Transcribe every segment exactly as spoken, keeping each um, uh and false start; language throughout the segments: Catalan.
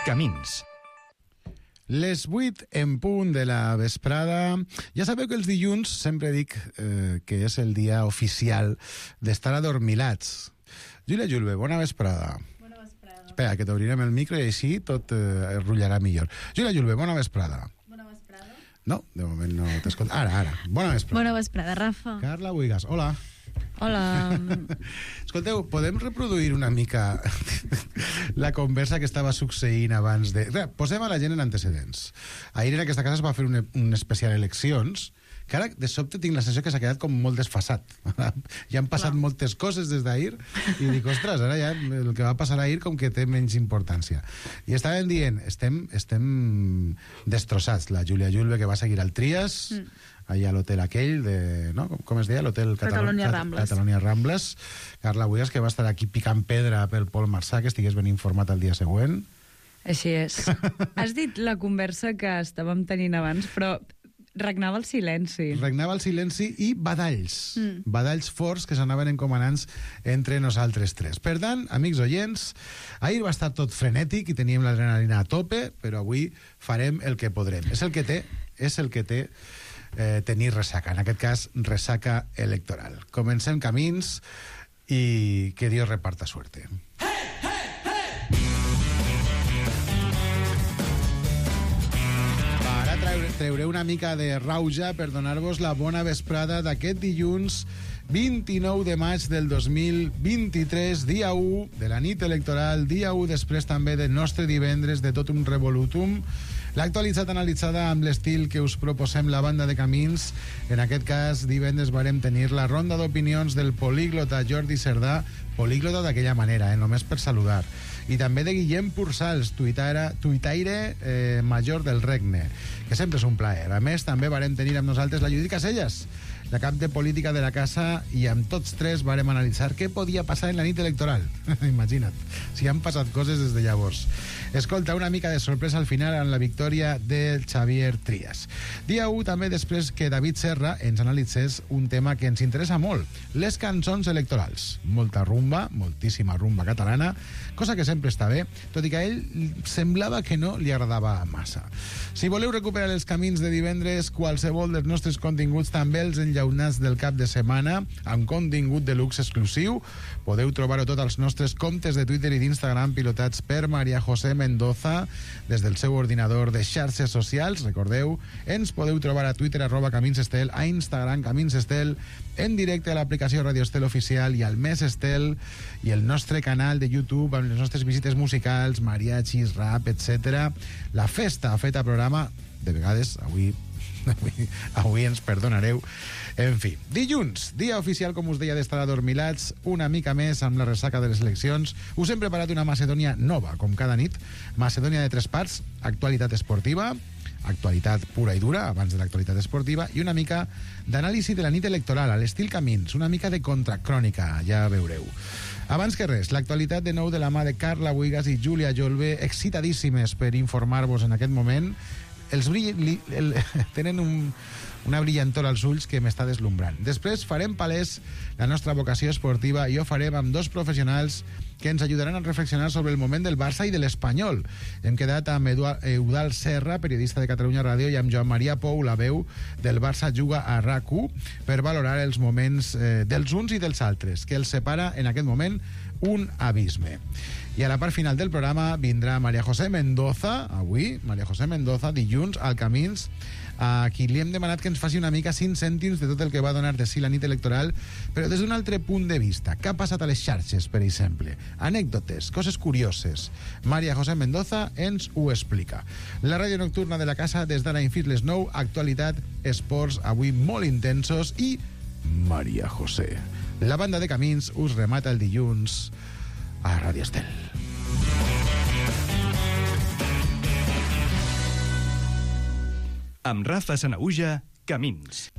Camins. Les vuit en punt de la vesprada. Ja sabeu que els dilluns sempre dic eh, que és el dia oficial d'estar adormilats. Júlia Julve, bona vesprada. Bona vesprada. Espera, que t'obrirem el micro i així tot eh, es rotllarà millor. Júlia Julve, bona vesprada. Bona vesprada. No, de moment no t'escolto. Ara, ara. Bona vesprada. Bona vesprada, Rafa. Carla Buigas, hola. Hola. Escolteu, podem reproduir una mica la conversa que estava succeint abans de... Re, posem a la gent en antecedents. Ahir en aquesta casa es va fer un, un especial eleccions, que ara de sobte tinc la sensació que s'ha quedat com molt desfasat. Ja han passat Clar. moltes coses des d'ahir i dic, ostres, ara ja el que va passar ahir com que té menys importància. I estàvem dient, estem, estem destrossats. La Júlia Julve, que va seguir al Trias, mm. allà a l'hotel aquell de... No? Com es deia? L'hotel Catalonia Rambles. Catalonia Rambles. Carla Buigas, que va estar aquí picant pedra pel Pol Marçà, que estigués ben informat el dia següent. Així és. Has dit la conversa que estàvem tenint abans, però regnava el silenci. Regnava el silenci i badalls. Mm. Badalls forts que s'anaven encomanants entre nosaltres tres. Per tant, amics oients, ahir va estar tot frenètic i teníem l'adrenalina a tope, però avui farem el que podrem. És el que té, és el que té eh, tenir ressaca. En aquest cas, ressaca electoral. Comencem camins i que Dios reparta suerte. Treuré una mica de rauja per donar-vos la bona vesprada d'aquest dilluns vint-i-nou de maig del dos mil vint-i-tres, dia u de la nit electoral, dia u després també del nostre divendres de tot un revolutum. L'actualitat analitzada amb l'estil que us proposem la banda de Camins. En aquest cas, divendres varem tenir la ronda d'opinions del políglota Jordi Cerdà, políglota d'aquella manera, eh, només per saludar. I també de Guillem Pursals, tuitaire, tuitaire eh, major del regne, que sempre és un plaer. A més, també varem tenir amb nosaltres la Judit Caselles, la cap de política de la casa, i amb tots tres varem analitzar què podia passar en la nit electoral. Imagina't, si han passat coses des de llavors. Escolta, una mica de sorpresa al final en la victòria del Xavier Trias. Dia u també després que David Serra ens analitzés un tema que ens interessa molt, les cançons electorals. Molta rumba, moltíssima rumba catalana, cosa que sempre està bé, tot i que a ell semblava que no li agradava massa. Si voleu recuperar els camins de divendres, qualsevol dels nostres continguts, també els enllaunats del cap de setmana, amb contingut de luxe exclusiu, podeu trobar-ho tot als nostres comptes de Twitter i d'Instagram pilotats per Maria José Mendoza des del seu ordinador de xarxes socials. Recordeu, ens podeu trobar a Twitter arroba Camins Estel, a Instagram Camins Estel, en directe a l'aplicació Radio Estel Oficial i al Més Estel, i el nostre canal de YouTube amb les nostres visites musicals, mariachis, rap, etcètera. La festa ha fet a programa, de vegades, avui, avui, avui ens perdonareu. En fi, dilluns, dia oficial, com us deia, d'estar adormilats una mica més amb la ressaca de les eleccions. Us hem preparat una Macedònia nova, com cada nit. Macedònia de tres parts, actualitat esportiva, actualitat pura i dura, abans de l'actualitat esportiva, i una mica d'anàlisi de la nit electoral, a l'estil Camins, una mica de contracrònica, ja veureu. Abans que res, l'actualitat de nou de la mà de Carla Buigas i Júlia Julve, excitadíssimes per informar-vos en aquest moment. Els brill, li, el, tenen un, una brillantor als ulls que m'està deslumbrant. Després farem palès la nostra vocació esportiva i ho farem amb dos professionals que ens ajudaran a reflexionar sobre el moment del Barça i de l'Espanyol. Hem quedat amb Eudald Serra, periodista de Catalunya Ràdio, i amb Joan Maria Pou, la veu del Barça juga a RAC u, per valorar els moments eh, dels uns i dels altres, que els separa en aquest moment un abisme. I a la part final del programa vindrà Maria José Mendoza, avui, Maria José Mendoza, dilluns, al Camins, a qui li hem demanat que ens faci una mica cinc cèntims de tot el que va donar de si la nit electoral, però des d'un altre punt de vista. Què ha passat a les xarxes, per exemple? Anècdotes, coses curioses. Maria José Mendoza ens ho explica. La ràdio nocturna de la casa, des d'ara fins les nou, actualitat, esports, avui molt intensos, i Maria José. La banda de Camins us remata el dilluns a Ràdio Estel. Amb Rafa Sanaüja, Camins.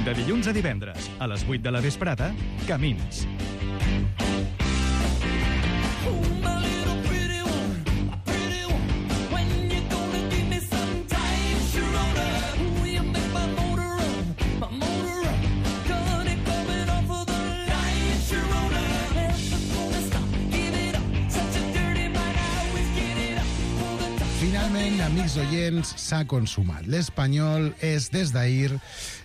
De dilluns a divendres, a les vuit de la vesprada, Camins. My motor up, got it coming off of the light, Sharona. Finalment, amics oients, s'ha consumat. L'Espanyol és, des d'ahir,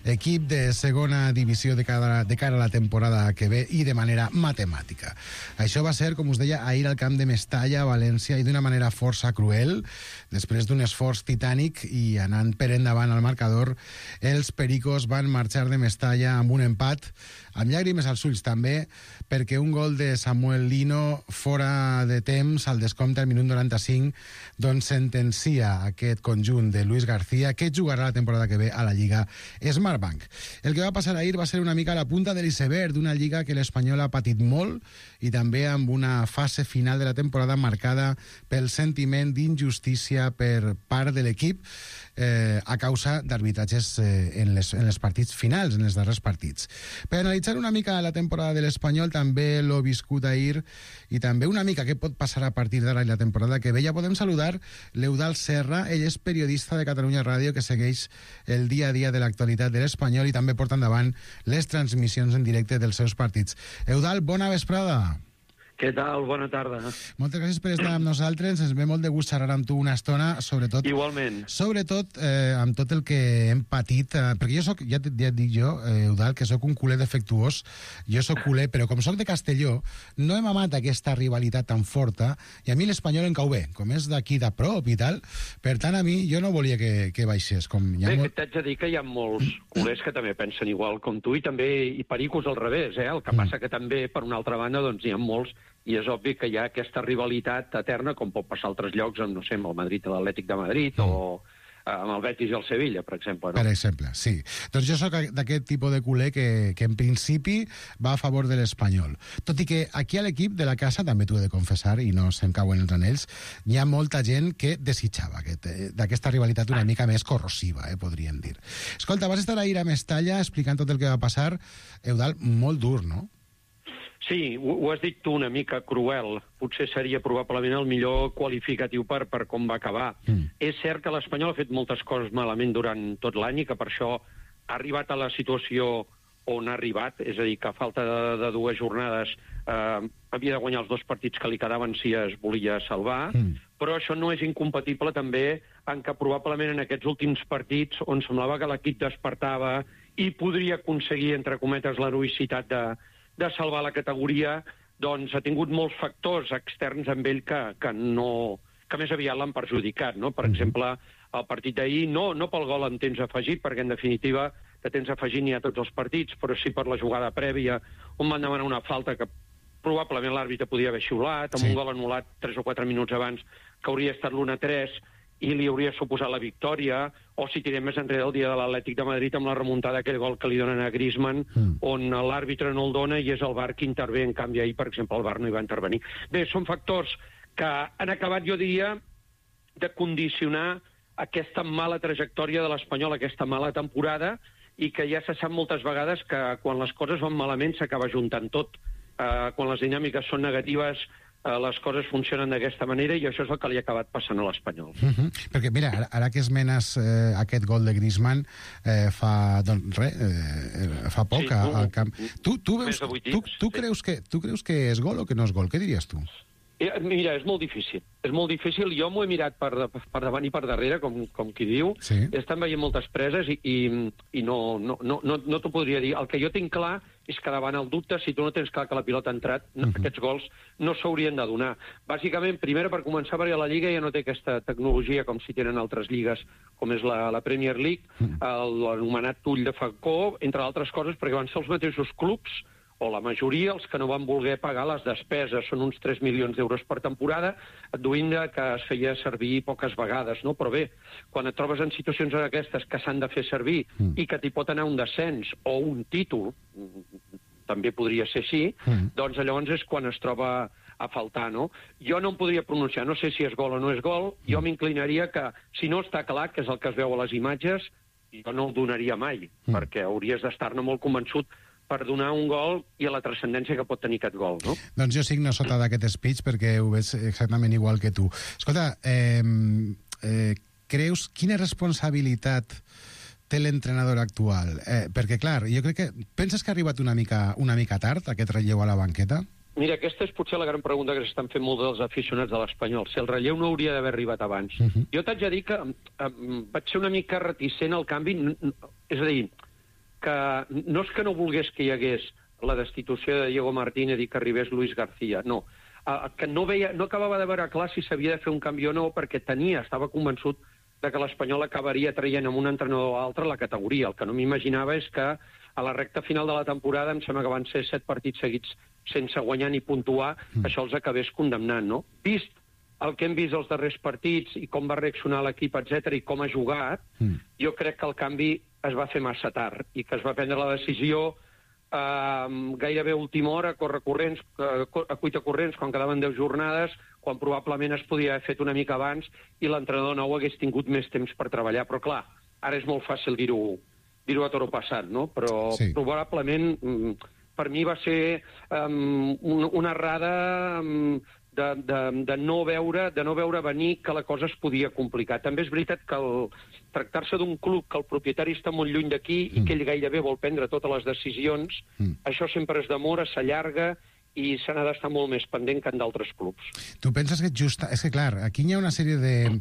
equip de segona divisió de cara, de cara a la temporada que ve i de manera matemàtica. Això va ser, com us deia, ahir al camp de Mestalla, a València, i d'una manera força cruel. Després d'un esforç titànic i anant per endavant al marcador, els pericos van marxar de Mestalla amb un empat, amb llàgrimes als ulls també, perquè un gol de Samuel Lino fora de temps al descompte al minut noranta-cinc doncs sentencia aquest conjunt de Luis García, que jugarà la temporada que ve a la Lliga Smartbank. El que va passar ahir va ser una mica la punta de l'iceberg d'una Lliga que l'Espanyol ha patit molt i també amb una fase final de la temporada marcada pel sentiment d'injustícia per part de l'equip eh, a causa d'arbitratges eh, en, les, en els partits finals, en els darrers partits. Per analitzar una mica la temporada de l'Espanyol, també l'ho viscut ahir, i també una mica què pot passar a partir d'ara i la temporada que ve, ja podem saludar l'Eudald Serra. Ell és periodista de Catalunya Ràdio que segueix el dia a dia de l'actualitat de l'Espanyol i també porta endavant les transmissions en directe dels seus partits. Eudald, bona vesprada. Què tal? Bona tarda. Moltes gràcies per estar amb nosaltres. Ens ve molt de gust xerrar amb tu una estona, sobretot... Igualment. Sobretot eh, amb tot el que hem patit, eh, perquè jo soc, ja, ja et dic jo, eh, Eudald, que sóc un culer defectuós. Jo sóc culer, però com sóc de Castelló, no hem amat aquesta rivalitat tan forta, i a mi l'Espanyol em cau bé, com és d'aquí de prop i tal. Per tant, a mi, jo no volia que, que baixés. Com hi ha Bé, molt... t'haig de dir que hi ha molts culers que també pensen igual com tu, i també i pericos al revés, eh? El que passa que també, per una altra banda, doncs hi ha molts, i és obvi que hi ha aquesta rivalitat eterna, com pot passar a altres llocs, amb, no sé, amb el Madrid i l'Atlètic de Madrid, mm. o eh, amb el Betis i el Sevilla, per exemple. No? Per exemple, sí. Doncs jo sóc d'aquest tipus de culer que, que en principi va a favor de l'Espanyol. Tot i que aquí a l'equip de la casa, també t'ho he de confessar, i no se'm cauen els anells, hi ha molta gent que desitjava aquest, d'aquesta rivalitat una mica més corrosiva, eh, podríem dir. Escolta, vas estar ahir a Mestalla explicant tot el que va passar. Eudald, molt dur, no? Sí, ho, ho has dit tu, una mica cruel. Potser seria probablement el millor qualificatiu per, per com va acabar. Mm. És cert que l'Espanyol ha fet moltes coses malament durant tot l'any i que per això ha arribat a la situació on ha arribat, és a dir, que a falta de, de dues jornades eh, havia de guanyar els dos partits que li quedaven si es volia salvar, mm. però això no és incompatible també en que probablement en aquests últims partits on semblava que l'equip despertava i podria aconseguir, entre cometes, l'heroïcitat de de salvar la categoria, doncs ha tingut molts factors externs amb ell que, que, no, que més aviat l'han perjudicat. No? Per exemple, el partit d'ahir, no, no pel gol en temps afegit, perquè en definitiva de temps afegit n'hi ha tots els partits, però sí per la jugada prèvia, on van demanar una falta que probablement l'àrbitre podia haver xiulat, amb sí. un gol anul·lat tres o quatre minuts abans, que hauria estat l'u a tres, i li hauria suposat la victòria, o si tirem més enrere el dia de l'Atlètic de Madrid amb la remuntada d'aquell gol que li donen a Griezmann, mm. on l'àrbitre no el dona i és el V A R qui intervé. En canvi, ahir, per exemple, el V A R no hi va intervenir. Bé, són factors que han acabat, jo diria, de condicionar aquesta mala trajectòria de l'Espanyol, aquesta mala temporada, i que ja se sap moltes vegades que quan les coses van malament s'acaba juntant tot. Uh, quan les dinàmiques són negatives, Uh, les coses funcionen d'aquesta manera i això és el que li ha acabat passant a l'Espanyol. Uh -huh. Perquè, mira, ara, ara que esmenes eh, aquest gol de Griezmann eh, fa, doncs, re, eh, fa poc sí, al camp. Tu, tu, veus, tu, tu, sí. creus que, tu creus que és gol o que no és gol? Què diries tu? Eh, mira, és molt difícil. És molt difícil. Jo m'ho he mirat per, per davant i per darrere, com, com qui diu. Sí. Estan veient moltes preses i, i, i no, no, no, no, no t'ho podria dir. El que jo tinc clar és que davant el dubte, si tu no tens clar que la pilota ha entrat, uh -huh. aquests gols no s'haurien de donar. Bàsicament, primer, per començar, perquè la Lliga ja no té aquesta tecnologia com si tenen altres lligues, com és la, la Premier League, uh -huh. l'anomenat ull de falcó, entre altres coses, perquè van ser els mateixos clubs, o la majoria, els que no van voler pagar les despeses, són uns tres milions d'euros per temporada, adduint que es feia servir poques vegades, no? Però bé, quan et trobes en situacions d'aquestes que s'han de fer servir mm. i que t'hi pot anar un descens o un títol, també podria ser així, mm. doncs llavors és quan es troba a faltar, no? Jo no em podria pronunciar, no sé si és gol o no és gol, mm. jo m'inclinaria que, si no està clar, que és el que es veu a les imatges, jo no el donaria mai, mm. perquè hauries d'estar-ne molt convençut per donar un gol i a la transcendència que pot tenir aquest gol, no? Doncs jo signo sota d'aquest speech perquè ho veig exactament igual que tu. Escolta, eh, eh, creus quina responsabilitat té l'entrenador actual? Eh, perquè, clar, jo crec que... Penses que ha arribat una mica, una mica tard aquest relleu a la banqueta? Mira, aquesta és potser la gran pregunta que s'estan fent molts dels aficionats de l'Espanyol. Si el relleu no hauria d'haver arribat abans. Uh -huh. Jo t'haig de dir que um, vaig ser una mica reticent al canvi. És a dir, que no és que no volgués que hi hagués la destitució de Diego Martínez i que arribés Luis García, no. Uh, que no, veia, no acabava de veure clar si s'havia de fer un canvi o no, perquè tenia, estava convençut de que l'Espanyol acabaria traient amb un entrenador o altre la categoria. El que no m'imaginava és que a la recta final de la temporada, em sembla que van ser set partits seguits sense guanyar ni puntuar, mm. això els acabés condemnant, no? Vist el que hem vist els darrers partits i com va reaccionar l'equip, etcètera, i com ha jugat, mm. jo crec que el canvi es va fer massa tard i que es va prendre la decisió eh, gairebé a última hora, a córrer corrents, a cuita corrents, quan quedaven deu jornades, quan probablement es podia haver fet una mica abans i l'entrenador nou hagués tingut més temps per treballar. Però, clar, ara és molt fàcil dir-ho dir-ho a toro passat, no? Però sí. probablement per mi va ser um, una errada um, de, de, de, no veure, de no veure venir que la cosa es podia complicar. També és veritat que el tractar-se d'un club que el propietari està molt lluny d'aquí mm. i que ell gairebé vol prendre totes les decisions, mm. això sempre es demora, s'allarga i se n'ha d'estar molt més pendent que en d'altres clubs. Tu penses que just... És que, clar, aquí hi ha una sèrie de...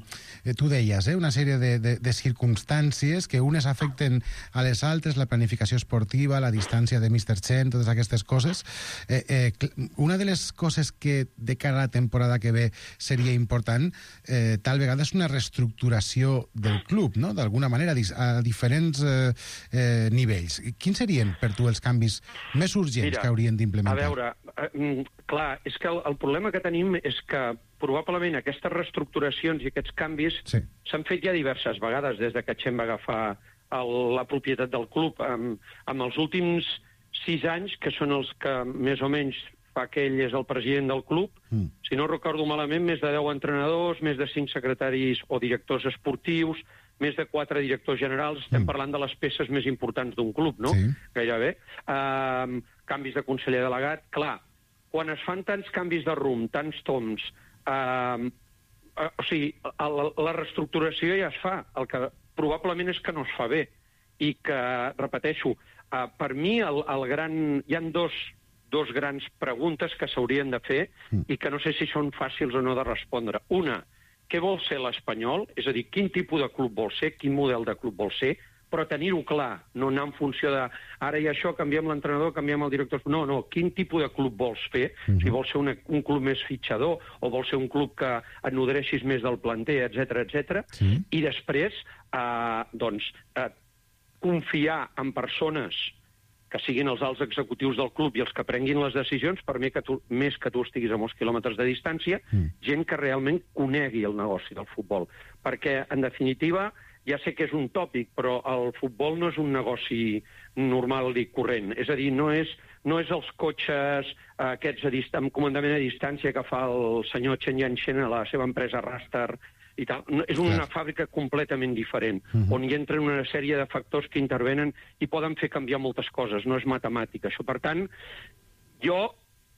Tu deies, eh? Una sèrie de, de, de circumstàncies que unes afecten a les altres, la planificació esportiva, la distància de míster Chen, totes aquestes coses. Eh, eh, una de les coses que de cara a la temporada que ve seria important, eh, tal vegada és una reestructuració del club, no? D'alguna manera, a diferents eh, eh, nivells. Quins serien, per tu, els canvis més urgents Mira, que haurien d'implementar? A veure, Uh, clar, és que el, el problema que tenim és que probablement aquestes reestructuracions i aquests canvis s'han sí. fet ja diverses vegades des de que Chen va agafar el, la propietat del club. Um, amb els últims sis anys, que són els que més o menys fa que ell és el president del club, mm. si no recordo malament, més de deu entrenadors, més de cinc secretaris o directors esportius, més de quatre directors generals, estem mm. parlant de les peces més importants d'un club, no? Sí. Gairebé. Um, canvis de conseller delegat, clar, quan es fan tants canvis de rumb, tants toms, eh, eh, o sigui, la, la reestructuració ja es fa, el que probablement és que no es fa bé, i que, repeteixo, eh, per mi el, el gran... hi ha dos, dos grans preguntes que s'haurien de fer mm. i que no sé si són fàcils o no de respondre. Una, què vol ser l'Espanyol? És a dir, quin tipus de club vol ser, quin model de club vol ser, però tenir-ho clar, no anar en funció de ara i això, canviem l'entrenador, canviem el director... No, no, quin tipus de club vols fer? Mm-hmm. Si vols ser una, un club més fitxador o vols ser un club que et nodreixis més del planter, etcètera, etcètera. Sí. I després, eh, doncs, eh, confiar en persones que siguin els alts executius del club i els que prenguin les decisions, per mi que tu, més que tu estiguis a molts quilòmetres de distància, mm. gent que realment conegui el negoci del futbol. Perquè, en definitiva, ja sé que és un tòpic, però el futbol no és un negoci normal i corrent. És a dir, no és, no és els cotxes eh, aquests a dist- amb comandament a distància que fa el senyor Chen Yanchen a la seva empresa Raster i tal. No, és una Clar. fàbrica completament diferent, uh-huh. on hi entren una sèrie de factors que intervenen i poden fer canviar moltes coses. No és matemàtica, això. Per tant, jo...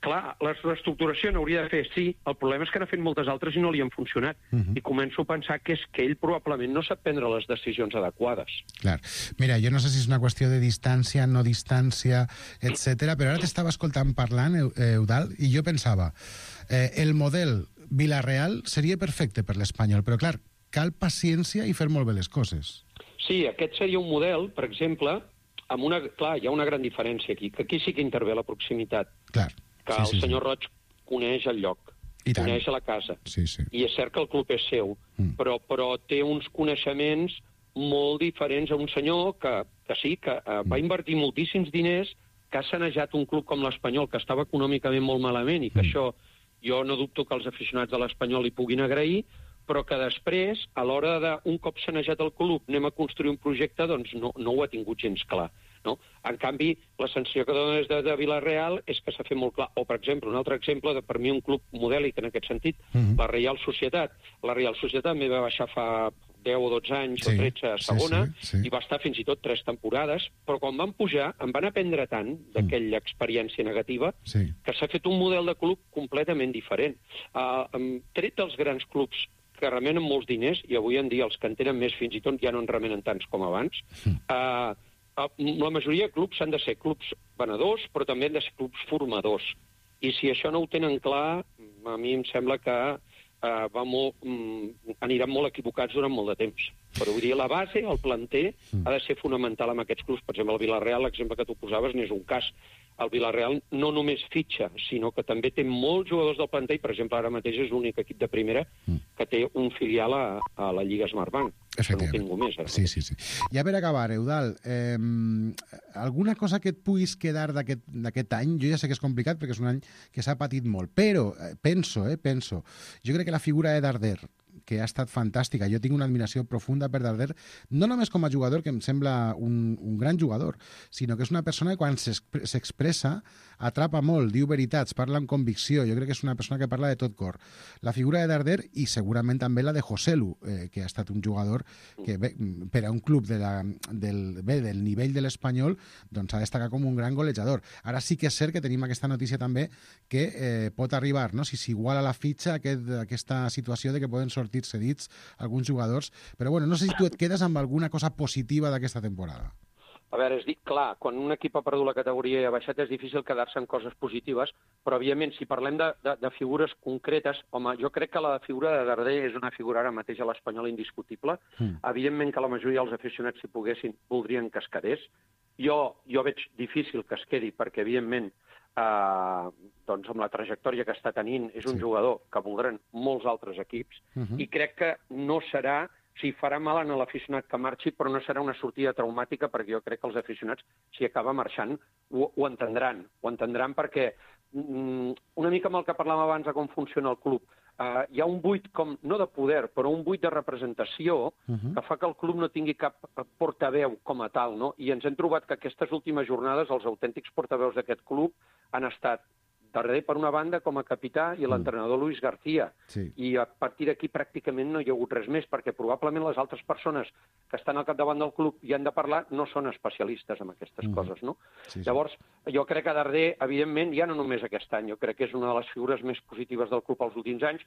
Clar, la reestructuració n'hauria de fer, sí. El problema és que n'ha fet moltes altres i no li han funcionat. Uh-huh. I començo a pensar que és que ell probablement no sap prendre les decisions adequades. Clar. Mira, jo no sé si és una qüestió de distància, no distància, etcètera, però ara t'estava escoltant parlant, Eudald, i jo pensava, eh, el model Villarreal seria perfecte per l'Espanyol, però clar, cal paciència i fer molt bé les coses. Sí, aquest seria un model, per exemple, amb una... Clar, hi ha una gran diferència aquí, que aquí sí que intervé la proximitat. Clar. que sí, el sí, senyor sí. Roig coneix el lloc, coneix la casa, sí, sí. i és cert que el club és seu, mm. però, però té uns coneixements molt diferents a un senyor que, que sí, que uh, va invertir moltíssims diners, que ha sanejat un club com l'Espanyol, que estava econòmicament molt malament, i que mm. això jo no dubto que els aficionats de l'Espanyol li puguin agrair, però que després, a l'hora d'un cop sanejat el club, anem a construir un projecte, doncs no, no ho ha tingut gens clar. No? En canvi, la sensació que dona des de, de Villarreal és que s'ha fet molt clar. O, per exemple, un altre exemple, de, per mi un club modèlic en aquest sentit, mm-hmm. la Reial Societat. La Reial Societat m'hi va baixar fa deu o dotze anys sí, o tretze a segona, sí, sí, sí. i va estar fins i tot tres temporades, però quan van pujar em van aprendre tant d'aquella mm. experiència negativa sí. que s'ha fet un model de club completament diferent. Uh, tret dels grans clubs que remenen molts diners, i avui en dia els que en tenen més fins i tot ja no en remenen tants com abans, mm. uh, la majoria de clubs han de ser clubs venedors, però també han de ser clubs formadors. I si això no ho tenen clar, a mi em sembla que uh, va molt, um, aniran molt equivocats durant molt de temps. Però vull dir, la base, el planter, mm. ha de ser fonamental amb aquests clubs. Per exemple, el Villarreal, l'exemple que tu posaves, n'és un cas. El Villarreal no només fitxa, sinó que també té molts jugadors del planter, i, per exemple, ara mateix és l'únic equip de primera mm. que té un filial a, a la Lliga Smartbank. Això no tinc més. Ara. Sí, sí, sí. Ja per acabar, Eudald, eh, alguna cosa que et puguis quedar d'aquest any? Jo ja sé que és complicat perquè és un any que s'ha patit molt, però eh, penso, eh, penso, jo crec que la figura de Darder, que ha estat fantàstica. Jo tinc una admiració profunda per Darder, no només com a jugador, que em sembla un, un gran jugador, sinó que és una persona que quan s'expressa atrapa molt, diu veritats, parla amb convicció. Jo crec que és una persona que parla de tot cor. La figura de Darder i segurament també la de Joselu, eh, que ha estat un jugador que bé, per a un club de la, del, bé, del nivell de l'Espanyol doncs ha destacat com un gran golejador. Ara sí que és cert que tenim aquesta notícia també que eh, pot arribar, no? Si s'iguala la fitxa, aquest, aquesta situació de que poden sortir cedits alguns jugadors, però bueno, no sé si tu et quedes amb alguna cosa positiva d'aquesta temporada. A veure, és dir, clar, quan un equip ha perdut la categoria i ha baixat és difícil quedar-se en coses positives, però, evidentment, si parlem de, de, de figures concretes, home, jo crec que la figura de Darder és una figura ara mateix a l'Espanyol indiscutible. Mm. Evidentment que la majoria dels aficionats, si poguessin, voldrien que es quedés. Jo, jo veig difícil que es quedi, perquè, evidentment, Uh, doncs amb la trajectòria que està tenint és un sí. jugador que voldran molts altres equips uh -huh. i crec que no serà, o sigui, farà mal a l'aficionat que marxi, però no serà una sortida traumàtica, perquè jo crec que els aficionats, si acaba marxant, ho, ho entendran. Ho entendran perquè mm, una mica amb el que parlàvem abans de com funciona el club, Uh, hi ha un buit, com no de poder, però un buit de representació uh -huh. que fa que el club no tingui cap portaveu com a tal, no? I ens hem trobat que aquestes últimes jornades els autèntics portaveus d'aquest club han estat Darder, per una banda, com a capità, i l'entrenador Luis García. Sí. I a partir d'aquí pràcticament no hi ha hagut res més, perquè probablement les altres persones que estan al capdavant del club i han de parlar no són especialistes en aquestes mm. coses, no? Sí, sí. Llavors, jo crec que Darder, evidentment, ja no només aquest any, jo crec que és una de les figures més positives del club els últims anys.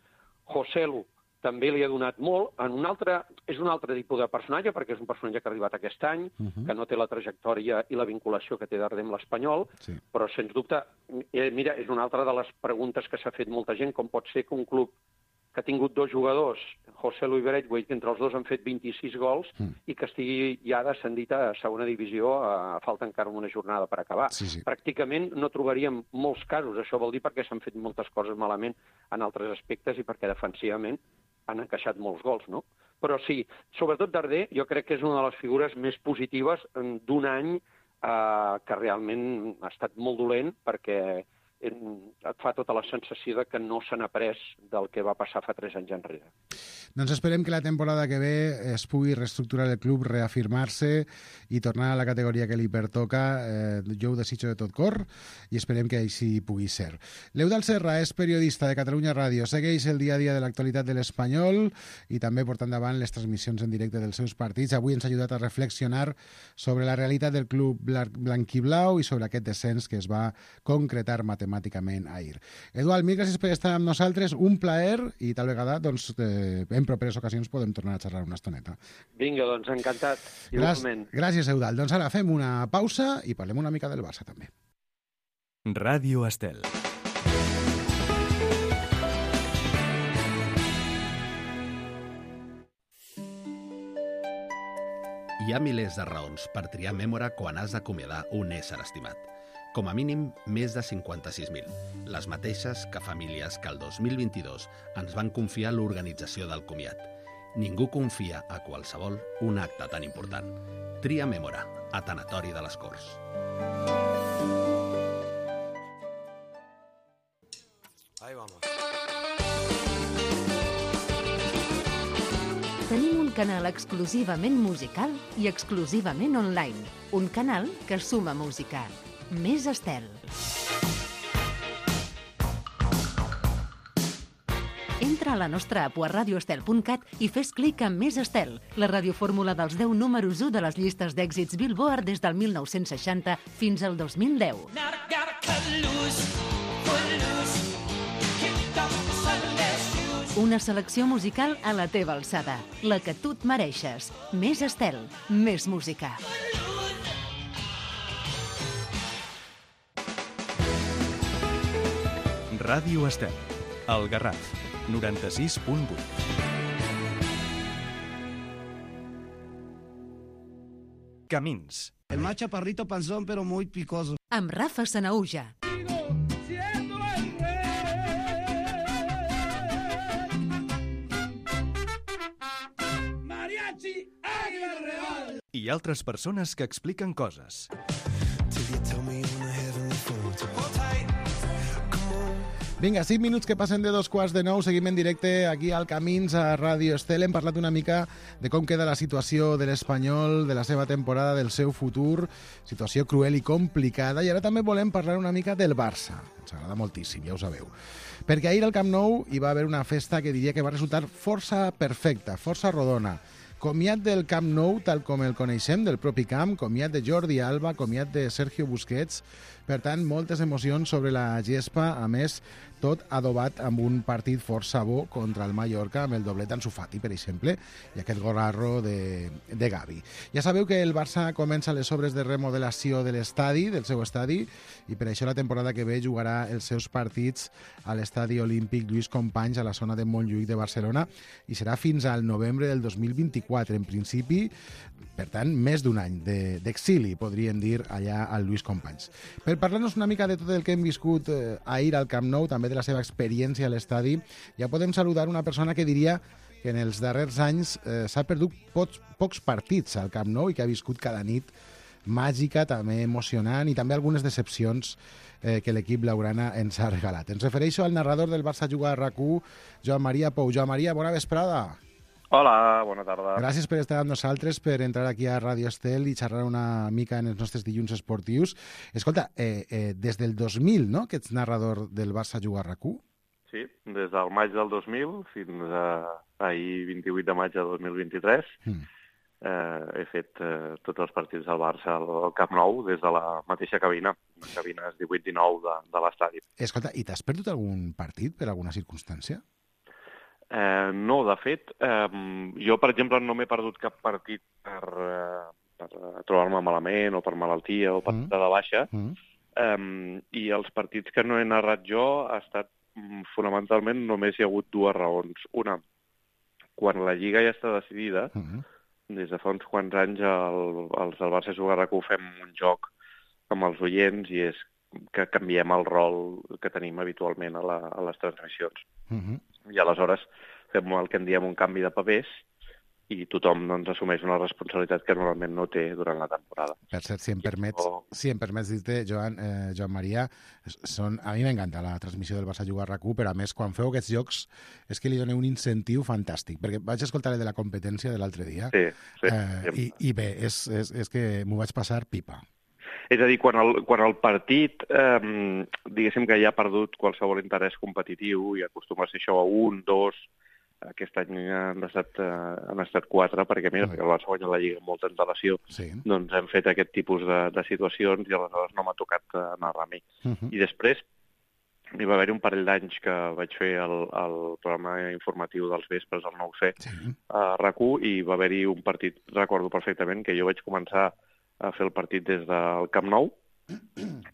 Joselu també li ha donat molt. En un altre, és un altre tipus de personatge, perquè és un personatge que ha arribat aquest any, uh -huh. que no té la trajectòria i la vinculació que té Darder amb l'Espanyol, sí. però, sens dubte, eh, mira, és una altra de les preguntes que s'ha fet molta gent, com pot ser que un club que ha tingut dos jugadors, Joselu i Braithwaite, que entre els dos han fet vint-i-sis gols, mm. i que estigui ja descendit a segona divisió, a falta encara una jornada per acabar. Sí, sí. Pràcticament no trobaríem molts casos, això vol dir perquè s'han fet moltes coses malament en altres aspectes i perquè defensivament han encaixat molts gols, no? Però sí, sobretot Darder, jo crec que és una de les figures més positives d'un any eh, que realment ha estat molt dolent, perquè et fa tota la sensació de que no se n'ha après del que va passar fa tres anys enrere. Doncs esperem que la temporada que ve es pugui reestructurar el club, reafirmar-se i tornar a la categoria que li pertoca. Eh, jo ho desitjo de tot cor i esperem que així pugui ser. L'Eudald Serra és periodista de Catalunya Ràdio, segueix el dia a dia de l'actualitat de l'Espanyol i també porta endavant les transmissions en directe dels seus partits. Avui ens ha ajudat a reflexionar sobre la realitat del club blanquiblau i sobre aquest descens que es va concretar matemàticament ahir. Eudald, mil gràcies per estar amb nosaltres, un plaer i tal vegada doncs, eh, en properes ocasions podem tornar a xerrar una estoneta. Vinga, doncs encantat. Gràcies, gràcies, Eudald. Doncs ara fem una pausa i parlem una mica del Barça també. Ràdio Estel. Hi ha milers de raons per triar Mémora quan has d'acomiadar un ésser estimat. Com a mínim, més de cinquanta-sis mil. Les mateixes que famílies que el dos mil vint-i-dos ens van confiar l'organització del comiat. Ningú confia a qualsevol un acte tan important. Tria Mémora, a Tanatori de les Corts. Ahí vamos. Tenim un canal exclusivament musical i exclusivament online. Un canal que suma música. Més Estel. Entra a la nostra app a radio estel punt cat i fes clic en Més Estel, la radiofórmula dels deu números u de les llistes d'èxits Billboard des del mil nou-cents seixanta fins al dos mil deu. Una selecció musical a la teva alçada, la que tu et mereixes. Més Estel, més música. Ràdio Estel, el Garraf, noranta-sis punt vuit. Camins. El más chaparrito panzón, pero muy picoso. Amb Rafa Sanaúja. I altres persones que expliquen coses. Vinga, cinc minuts que passen de dos quarts de nou. Seguim en directe aquí al Camins a Ràdio Estel. Hem parlat una mica de com queda la situació de l'Espanyol, de la seva temporada, del seu futur. Situació cruel i complicada. I ara també volem parlar una mica del Barça. Ens agrada moltíssim, ja ho sabeu. Perquè ahir al Camp Nou hi va haver una festa que diria que va resultar força perfecta, força rodona. Comiat del Camp Nou, tal com el coneixem, del propi camp, comiat de Jordi Alba, comiat de Sergio Busquets. Per tant, moltes emocions sobre la gespa, a més, tot adobat amb un partit força bo contra el Mallorca, amb el doblet d'Ansu Fati, per exemple, i aquest gorarro de, de Gavi. Ja sabeu que el Barça comença les obres de remodelació de l'estadi, del seu estadi, i per això la temporada que ve jugarà els seus partits a l'estadi olímpic Lluís Companys, a la zona de Montjuïc de Barcelona, i serà fins al novembre del dos mil vint-i-quatre, en principi, per tant, més d'un any d'exili, podríem dir, allà al Lluís Companys. Per parlar-nos una mica de tot el que hem viscut eh, ahir al Camp Nou, també de la seva experiència a l'estadi, ja podem saludar una persona que diria que en els darrers anys eh, s'ha perdut pocs, pocs partits al Camp Nou i que ha viscut cada nit màgica, també emocionant, i també algunes decepcions eh, que l'equip blaugrana ens ha regalat. Ens refereixo al narrador del Barça Juga a RAC u, Joan Maria Pou. Joan Maria, bona vesprada. Hola, bona tarda. Gràcies per estar amb nosaltres, per entrar aquí a Ràdio Estel i xerrar una mica en els nostres dilluns esportius. Escolta, eh, eh, des del dos mil, no?, que ets narrador del Barça Juga a RAC u? Sí, des del maig del dos mil fins a ahir vint-i-vuit de maig de dos mil vint-i-tres. Mm. Eh, he fet eh, tots els partits del Barça al, al Camp Nou des de la mateixa cabina, cabines divuit dinou de, de l'estadi. Escolta, i t'has perdut algun partit per alguna circumstància? Eh, no, de fet, eh, jo, per exemple, no m'he perdut cap partit per, eh, per trobar-me malament o per malaltia o per mm. de baixa, mm. eh, i els partits que no he narrat jo ha estat, fonamentalment, només hi ha hagut dues raons. Una, quan la Lliga ja està decidida, mm. des de fa uns quants anys el, els del Barça Juga a RAC u fem un joc amb els oients i és que canviem el rol que tenim habitualment a, la, a les transmissions. Mm-hmm. I aleshores fem el que en diem un canvi de papers i tothom doncs, assumeix una responsabilitat que normalment no té durant la temporada. Per cert, si em permets, o... si em permets dir-te, Joan, eh, Joan Maria, són, a mi m'encanta la transmissió del Barça Juga a RAC u, però a més, quan feu aquests jocs, és que li doneu un incentiu fantàstic, perquè vaig escoltar el de la competència de l'altre dia, sí, sí, eh, i, i bé, és, és, és que m'ho vaig passar pipa. És a dir, quan el, quan el partit, eh, diguéssim que ja ha perdut qualsevol interès competitiu i acostuma a ser això a un, dos, aquest any han estat, eh, han estat quatre, perquè mira, perquè el Barça guanya la Lliga amb molta antelació, sí. Doncs hem fet aquest tipus de, de situacions i aleshores no m'ha tocat uh, narrar a mi. Uh-huh. I després hi va haver un parell d'anys que vaig fer el, el programa informatiu dels vespres, el nou C, sí. a RAC u, i va haver-hi un partit, recordo perfectament, que jo vaig començar a fer el partit des del Camp Nou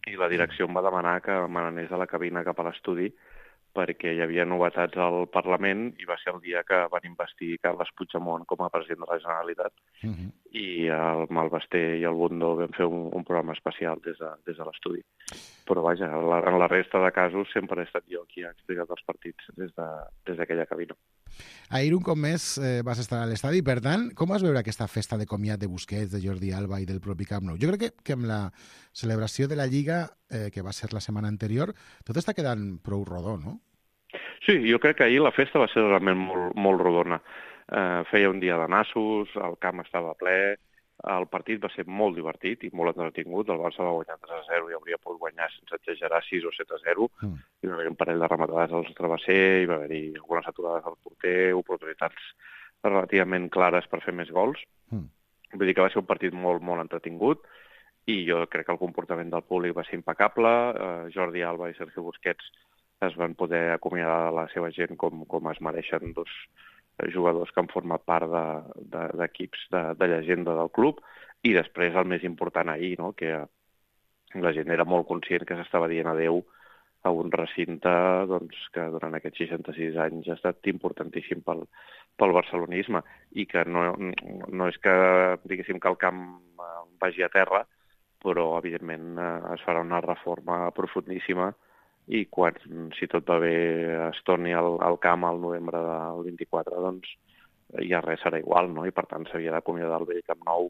i la direcció em va demanar que me n'anés a la cabina cap a l'estudi perquè hi havia novetats al Parlament i va ser el dia que van investir Carles Puigdemont com a president de la Generalitat. Uh-huh. I el Malvester i el Bundó vam fer un, un programa especial des de, des de l'estudi. Però vaja, la, en la resta de casos sempre he estat jo qui ha explicat els partits des de, des d'aquella cabina. Ahir un cop més eh, vas estar a l'estadi, per tant, com vas veure aquesta festa de comiat de Busquets, de Jordi Alba i del propi Camp Nou? Jo crec que, que amb la celebració de la Lliga, eh, que va ser la setmana anterior, tot està quedant prou rodó, no? Sí, jo crec que ahir la festa va ser realment molt, molt rodona. Eh, feia un dia de nassos, el camp estava ple, el partit va ser molt divertit i molt entretingut. El Barça va guanyar tres a zero i hauria pogut guanyar, sense exagerar, sis o set a zero. Mm. Hi va haver un parell de rematades als travesser, hi va haver algunes aturades al porter, oportunitats relativament clares per fer més gols. Mm. Vull dir que va ser un partit molt, molt entretingut i jo crec que el comportament del públic va ser impecable. Eh, Jordi Alba i Sergio Busquets es van poder acomiadar de la seva gent com, com es mereixen dos jugadors que han format part d'equips de, de, de, de llegenda del club, i després el més important ahir, no? Que la gent era molt conscient que s'estava dient adeu a un recinte doncs, que durant aquests seixanta-sis anys ha estat importantíssim pel, pel barcelonisme i que no, no és que, diguéssim, que el camp vagi a terra, però, evidentment, es farà una reforma profundíssima i quan, si tot va bé, es torni al, al camp al novembre del vint-i-quatre, doncs ja res serà igual, no? I, per tant, s'havia d'acomiadar el vell Camp Nou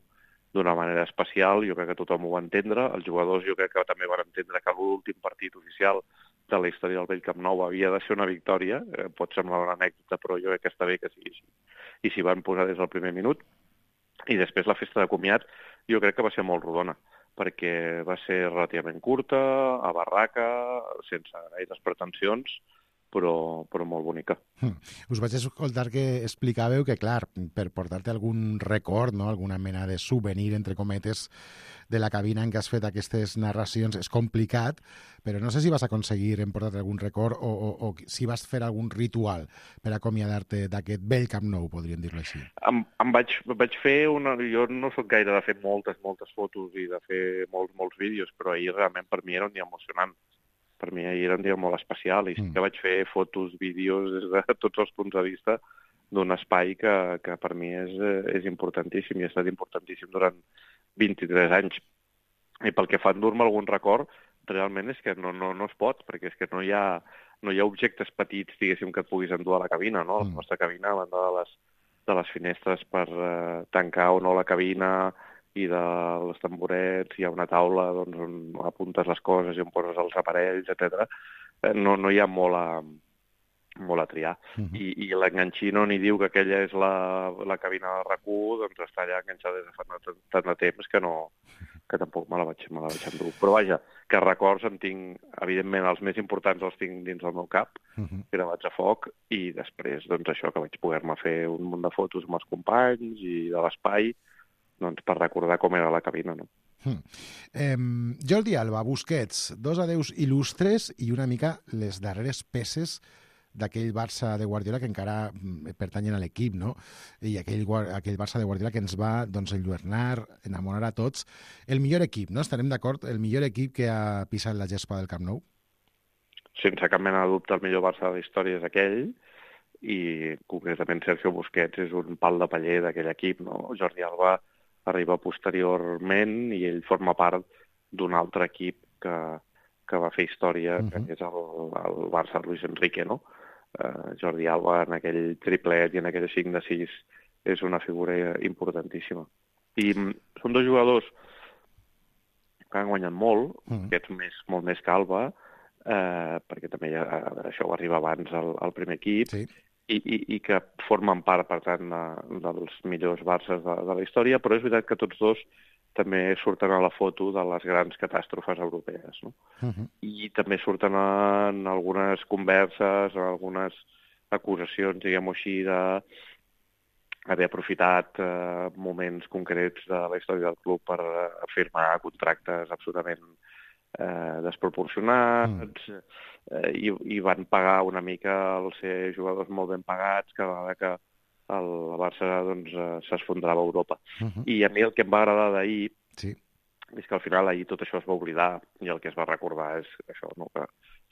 d'una manera especial. Jo crec que tothom ho va entendre. Els jugadors jo crec que també van entendre que l'últim partit oficial de la història del vell Camp Nou havia de ser una victòria. Eh, pot semblar una anècdota, però jo crec que està bé que sigui així. I s'hi van posar des del primer minut. I després la festa de comiat jo crec que va ser molt rodona, perquè va ser relativament curta, a barraca, sense gaires pretensions, però, però molt bonica. Mm. Us vaig escoltar que explicàveu que, clar, per portar-te algun record, no? Alguna mena de souvenir, entre cometes, de la cabina en què has fet aquestes narracions és complicat, però no sé si vas aconseguir emportar algun record o, o, o si vas fer algun ritual per acomiadar-te d'aquest vell Camp Nou, podríem dir-lo així. Em, em vaig, vaig fer una... Jo no sóc gaire de fer moltes, moltes fotos i de fer molts, molts vídeos, però ahir realment per mi era un dia emocionant. Per mi ahir era un dia molt especial i sí que vaig fer fotos, vídeos des de tots els punts de vista d'un espai que, que per mi és, és importantíssim i ha estat importantíssim durant vint-i-tres anys. I pel que fa a endur-me algun record, realment és que no, no, no es pot, perquè és que no hi ha, no hi ha objectes petits, diguéssim, que et puguis endur a la cabina, no? La nostra cabina, a banda de les, de les finestres per eh, tancar o no la cabina i dels tamborets, hi ha una taula doncs, on apuntes les coses i on poses els aparells, etcètera. Eh, no, no hi ha molt a, molt a triar. Uh -huh. I, i l'enganxino ni diu que aquella és la, la cabina de RAC u, doncs està allà enganxada des de fa tant de temps que, no, que tampoc me la vaig, me la vaig endur. Però vaja, que records en tinc, evidentment, els més importants els tinc dins del meu cap, uh -huh. gravats a foc, i després, doncs això, que vaig poder-me fer un munt de fotos amb els companys i de l'espai, doncs per recordar com era la cabina, no? Hmm. Eh, Jordi Alba, Busquets, dos adeus il·lustres i una mica les darreres peces d'aquell Barça de Guardiola que encara pertanyen a l'equip, no? I aquell, aquell Barça de Guardiola que ens va doncs, enlluernar, enamorar a tots. El millor equip, no? Estarem d'acord? El millor equip que ha pisat la gespa del Camp Nou? Sense cap mena de dubte, el millor Barça de la història és aquell, i concretament Sergio Busquets és un pal de paller d'aquell equip, no? Jordi Alba arriba posteriorment i ell forma part d'un altre equip que, que va fer història, uh -huh. que és el, el Barça Luis Enrique, no? Uh, Jordi Alba en aquell triplet i en aquell cinc de sis és una figura importantíssima. I mm, són dos jugadors que han guanyat molt, uh -huh. aquests més, molt més que Alba, uh, perquè també ja, això va arribar abans al, al primer equip, sí. I, i, i que formen part, per tant, de, dels millors Barças de, de la història, però és veritat que tots dos també surten a la foto de les grans catàstrofes europees, no? Uh-huh. I també surten en algunes converses, en algunes acusacions, diguem-ho així, d'haver aprofitat eh, moments concrets de la història del club per eh, firmar contractes absolutament eh, desproporcionats, mm. eh, i, i van pagar una mica el ser jugadors molt ben pagats cada vegada que el Barça doncs, s'esfondrava a Europa. Uh-huh. I a mi el que em va agradar d'ahir sí. és que al final ahir tot això es va oblidar i el que es va recordar és això, no? Que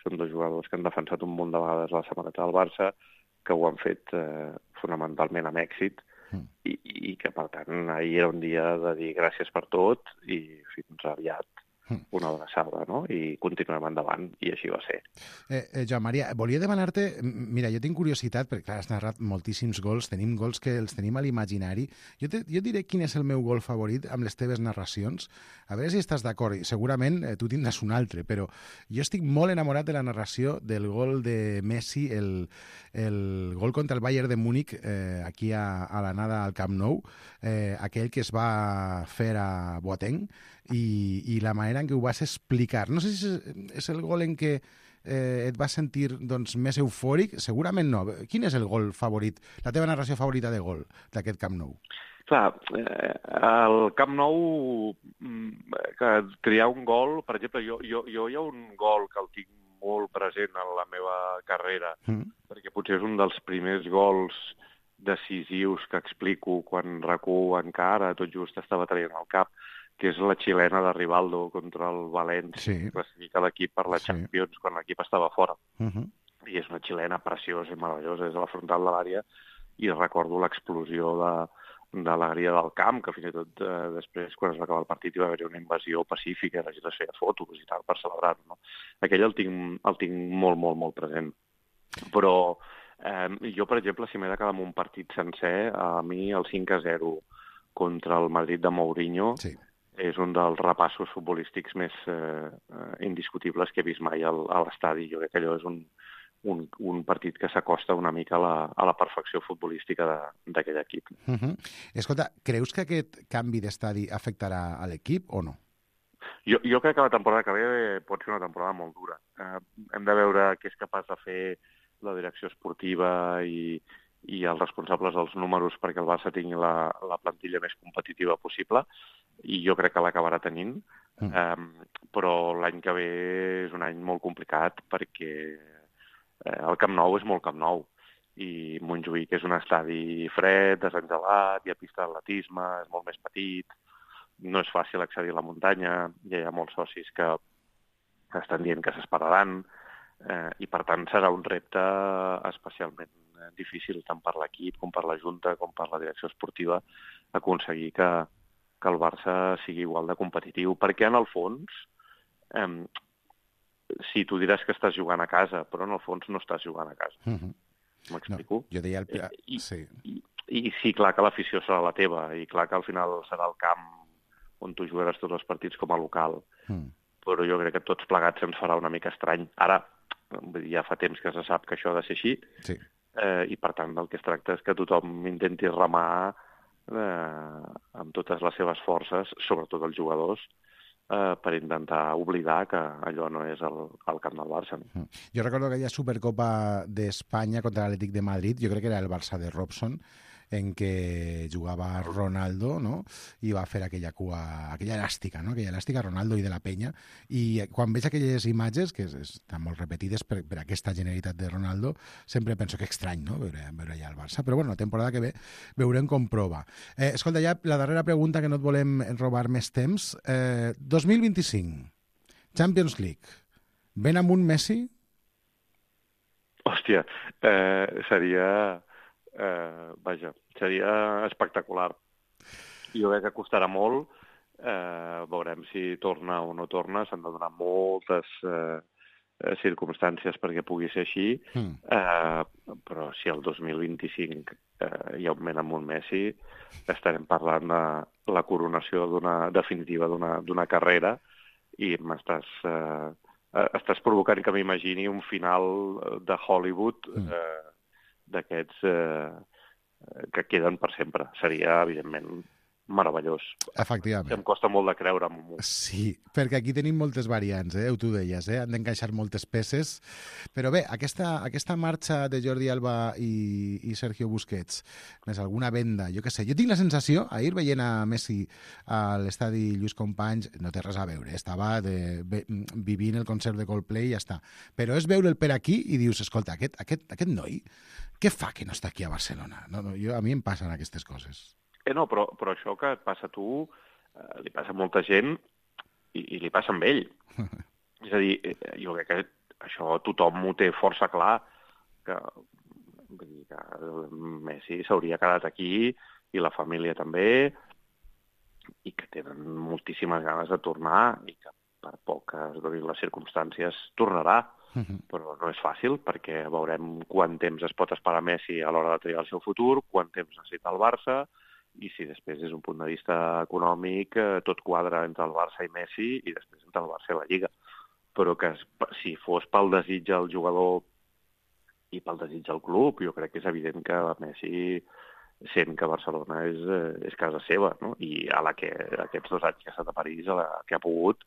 són dos jugadors que han defensat un munt de vegades la samarreta del Barça, que ho han fet eh, fonamentalment amb èxit, uh-huh. i, i que, per tant, ahir era un dia de dir gràcies per tot i fins aviat. Una abraçada, no? I continuem endavant, i així va ser. Eh, eh, Joan Maria, volia demanar-te... Mira, jo tinc curiositat, perquè clar, has narrat moltíssims gols, tenim gols que els tenim a l'imaginari. Jo, te, jo diré quin és el meu gol favorit amb les teves narracions. A veure si estàs d'acord. Segurament eh, tu tindràs un altre, però jo estic molt enamorat de la narració del gol de Messi, el, el gol contra el Bayern de Múnich, eh, aquí a, a l'anada al Camp Nou, eh, aquell que es va fer a Boateng, i, i la manera en què ho vas explicar. No sé si és, és el gol en què eh, et vas sentir doncs, més eufòric. Segurament no. Quin és el gol favorit, la teva narració favorita de gol d'aquest Camp Nou? Clar, eh, el Camp Nou, que triar un gol, per exemple, jo, jo, jo hi ha un gol que el tinc molt present en la meva carrera, mm. perquè potser és un dels primers gols decisius que explico quan RAC u encara tot just estava traient al cap, que és la xilena de Rivaldo contra el València, Sí. que classifica l'equip per la Sí. Champions quan l'equip estava fora. Uh -huh. I és una xilena preciosa i meravellosa, és a la frontal de l'àrea, i recordo l'explosió de, d'alegria del camp, que fins i tot eh, després, quan es va acabar el partit, hi va haver una invasió pacífica, la gent es feia fotos i tal per celebrar-ho. No? Aquell el tinc, el tinc molt, molt, molt present. Però eh, jo, per exemple, si m'he de quedar amb un partit sencer, a mi el cinc a zero contra el Madrid de Mourinho Sí. és un dels repassos futbolístics més eh, indiscutibles que he vist mai al, a l'estadi. Jo crec que allò és un, un, un partit que s'acosta una mica a la, a la perfecció futbolística d'aquell equip. Uh -huh. Escolta, creus que aquest canvi d'estadi afectarà a l'equip o no? Jo, jo crec que la temporada que ve pot ser una temporada molt dura. Eh, hem de veure què és capaç de fer la direcció esportiva i, i els responsables dels números perquè el Barça tingui la, la plantilla més competitiva possible, i jo crec que l'acabarà tenint. Mm. Um, però l'any que ve és un any molt complicat perquè eh, el Camp Nou és molt Camp Nou, i Montjuïc és un estadi fred, desengelat, hi ha pista d'atletisme, és molt més petit, no és fàcil accedir a la muntanya, ja hi ha molts socis que estan dient que s'esperaran, eh, i per tant serà un repte especialment difícil tant per l'equip com per la Junta com per la direcció esportiva aconseguir que, que el Barça sigui igual de competitiu, perquè en el fons eh, sí, tu diràs que estàs jugant a casa, però en el fons no estàs jugant a casa. Uh -huh. M'explico? No, jo deia... El... Eh, i, sí. I, I sí, clar que l'afició serà la teva, i clar que al final serà el camp on tu jugaràs tots els partits com a local, mm. però jo crec que tots plegats ens farà una mica estrany. Ara, ja fa temps que se sap que això ha de ser així, sí. eh, i per tant el que es tracta és que tothom intenti remar eh, amb totes les seves forces, sobretot els jugadors, eh, per intentar oblidar que allò no és el, el camp del Barça. No? Jo recordo aquella Supercopa d'Espanya contra l'Atlètic de Madrid, jo crec que era el Barça de Robson, en què jugava Ronaldo, no? I va fer aquella cua, aquella elàstica, no? Aquella elàstica, Ronaldo i de la Penya. I quan veig aquelles imatges, que estan molt repetides per, per aquesta generalitat de Ronaldo, sempre penso que estrany, no? Veure, veure allà el Barça. Però bueno, la temporada que ve veurem com prova. Eh, escolta, ja la darrera pregunta, que no et volem robar més temps. Eh, dos mil vint-i-cinc, Champions League. Ben amunt Messi? Hòstia, eh, seria... Eh, vaja, seria espectacular. Jo crec que costarà molt. Eh, veurem si torna o no torna. S'han de donar moltes eh, circumstàncies perquè pugui ser així. Mm. Eh, però si el dos mil vint-i-cinc eh, hi augmenta amb un Messi, estarem parlant de la coronació d'una definitiva d'una d'una carrera, i m'estàs eh, estàs provocant que m'imagini un final de Hollywood eh, d'aquests eh, que queden per sempre. Seria, evidentment, meravellós. Efectivament. Em costa molt de creure. Sí, perquè aquí tenim moltes variants, eh? Tu deies, eh? Han d'encaixar moltes peces. Però bé, aquesta, aquesta marxa de Jordi Alba i, i Sergio Busquets, més alguna venda, jo què sé, jo tinc la sensació, ahir veient a Messi a l'estadi Lluís Companys, no té res a veure, estava de, be, vivint el concert de Coldplay i ja està. Però és veure'l per aquí i dius, escolta, aquest, aquest, aquest noi, què fa que no està aquí a Barcelona? No, no, jo, a mi em passen aquestes coses. Eh, no, però, però això que et passa a tu, eh, li passa a molta gent i, i li passa amb ell. És a dir, eh, jo crec que això tothom ho té força clar, que, vull dir, que Messi s'hauria quedat aquí, i la família també, i que tenen moltíssimes ganes de tornar, i que per poc que es donin les circumstàncies tornarà. Uh-huh. Però no és fàcil, perquè veurem quant temps es pot esperar Messi a l'hora de triar el seu futur, quant temps necessita el Barça, i si després, des d'un punt de vista econòmic, eh, tot quadra entre el Barça i Messi, i després entre el Barça i la Lliga. Però que si fos pel desig del jugador i pel desig del club, jo crec que és evident que Messi sent que Barcelona és, és casa seva, no? I a la que aquests dos anys que ha estat a París, a la que ha pogut,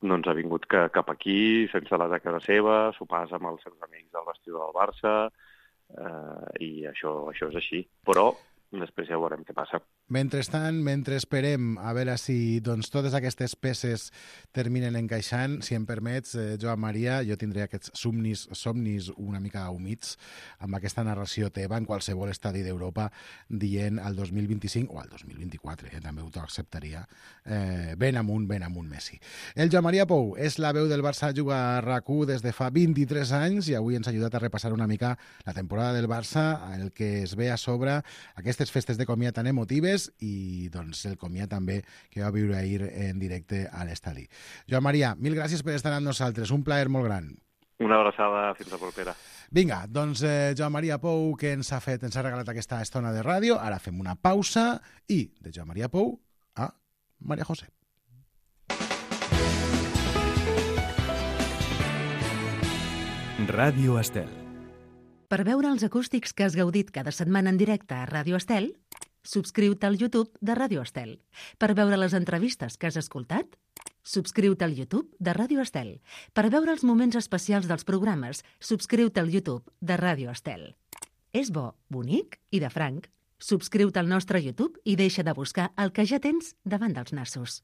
no ens ha vingut que, cap aquí, sense la de casa seva, sopars amb els seus amics del vestidor del Barça, eh, i això, això és així. Però després ja veurem què passa. Mentrestant, mentre esperem a veure si doncs, totes aquestes peces terminen encaixant, si em permets, eh, Joan Maria, jo tindré aquests somnis, somnis una mica humits amb aquesta narració teva en qualsevol estadi d'Europa dient al dos mil vint-i-cinc o al dos mil vint-i-quatre, eh, també ho acceptaria, eh, ben amunt, ben amunt Messi. El Joan Maria Pou és la veu del Barça, juga a R A C u des de fa vint-i-tres anys i avui ens ha ajudat a repassar una mica la temporada del Barça, el que es ve a sobre, aquestes festes de comiat tan emotives i doncs el comiat també que va viure ahir en directe a l'estadi. Joan Maria, mil gràcies per estar amb nosaltres, un plaer molt gran. Una abraçada, fins la propera. Vinga, doncs eh, Joan Maria Pou, que ens ha fet, ens ha regalat aquesta estona de ràdio, ara fem una pausa i de Joan Maria Pou a Maria José. Ràdio Estel. Per veure els acústics que has gaudit cada setmana en directe a Ràdio Estel, subscriu-te al YouTube de Ràdio Estel. Per veure les entrevistes que has escoltat, subscriu-te al YouTube de Ràdio Estel. Per veure els moments especials dels programes, subscriu-te al YouTube de Ràdio Estel. És bo, bonic i de franc. Subscriu-te al nostre YouTube i deixa de buscar el que ja tens davant dels nassos.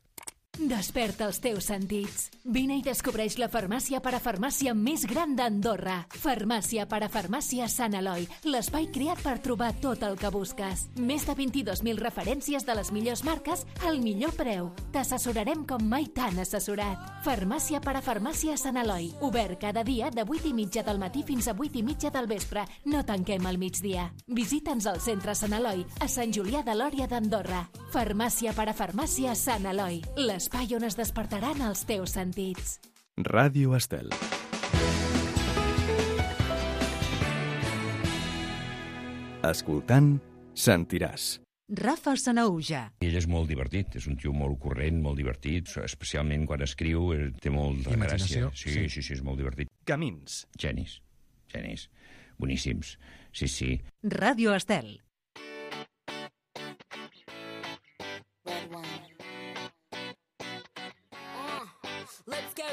Desperta els teus sentits. Vine i descobreix la farmàcia parafarmàcia més gran d'Andorra. Farmàcia parafarmàcia Sant Eloi, l'espai creat per trobar tot el que busques. Més de vint-i-dos mil referències de les millors marques al millor preu. T'assessorarem com mai t'han assessorat. Farmàcia parafarmàcia Sant Eloi, obert cada dia de vuit i mitja del matí fins a vuit i mitja del vespre. No tanquem al migdia. Visita'ns al centre Sant Eloi, a Sant Julià de Lòria d'Andorra. Farmàcia parafarmàcia Sant Eloi, les l'espai on es despertaran els teus sentits. Ràdio Estel. Escoltant, sentiràs. Rafa Sanahuja. Ell és molt divertit, és un tio molt corrent, molt divertit, especialment quan escriu, té molt de gràcia. Sí, sí, sí, sí, és molt divertit. Camins. Genis, genis, boníssims, sí, sí. Ràdio Estel.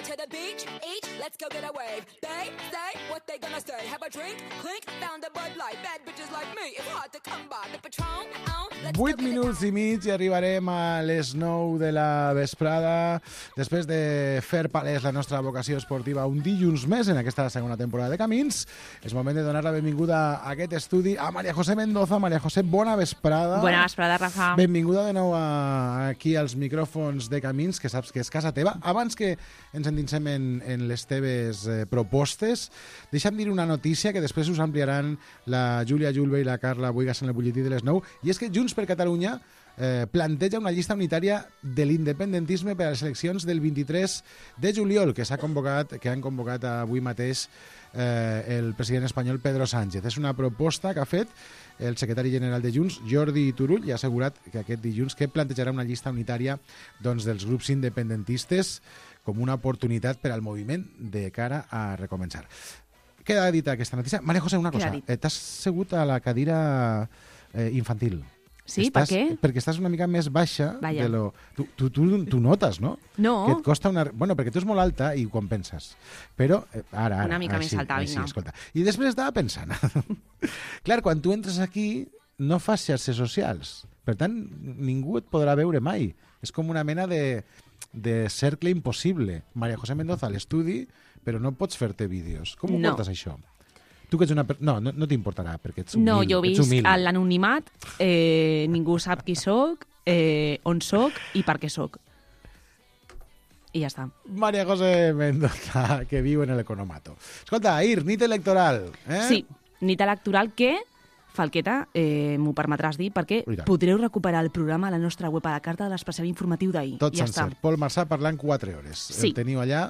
To the beach, each, let's go get a wave. They say what they gonna say. Have a drink, clink, found a Bud Light. Bad bitches like me, it's hard to come by. The Patron, oh, let's vuit minuts i mig i arribarem a les nou de la vesprada després de fer palès la nostra vocació esportiva un dilluns més en aquesta segona temporada de Camins. És moment de donar la benvinguda a aquest estudi a Maria José Mendoza. Maria José, bona vesprada. Bona vesprada, Rafa. Benvinguda de nou a, aquí als micròfons de Camins, que saps que és casa teva. Abans que ens endinsem en, en les teves eh, propostes, deixa'm dir una notícia que després us ampliaran la Júlia Julve i la Carla Boigas en el butlletí de les nou, i és que Junts per Catalunya eh, planteja una llista unitària de l'independentisme per a les eleccions del vint-i-tres de juliol, que s'ha convocat, que han convocat avui mateix eh, el president espanyol Pedro Sánchez. És una proposta que ha fet el secretari general de Junts, Jordi Turull, i ha assegurat que aquest dilluns que plantejarà una llista unitària doncs, dels grups independentistes com una oportunitat per al moviment de cara a recomençar. Queda dita aquesta notícia. Maria José, una cosa. Eh, T'has segut a la cadira eh, infantil. Sí, estàs, per què? Perquè estàs una mica més baixa Vaya. de lo... Tu, tu, tu, tu notes, no? No. Que et costa una... Bueno, perquè tu és molt alta i quan penses. Però, eh, ara, ara... Una mica ara, més sí, alta, sí, vinga. escolta. I després estava pensant. Clar, quan tu entres aquí no fas xarxes socials. Per tant, ningú et podrà veure mai. És com una mena de, de cercle impossible. Maria José Mendoza a l'estudi, però no pots fer-te vídeos. Com ho No. portes, això? Tu que ets una... per- No, no, no t'importarà, perquè ets humil. No, jo ets visc humil. a l'anonimat, eh, ningú sap qui sóc, eh, on sóc i per què sóc. I ja està. Maria José Mendoza, que viu en el Economato. Escolta, Ahir, nit electoral. Eh? Sí, nit electoral que, Falqueta, eh, m'ho permetràs dir, perquè I tant. podreu recuperar el programa a la nostra web a la carta de l'especial informatiu d'ahir. Tot ja sencer. està. Pol Marçà parlant quatre hores. Sí. El teniu allà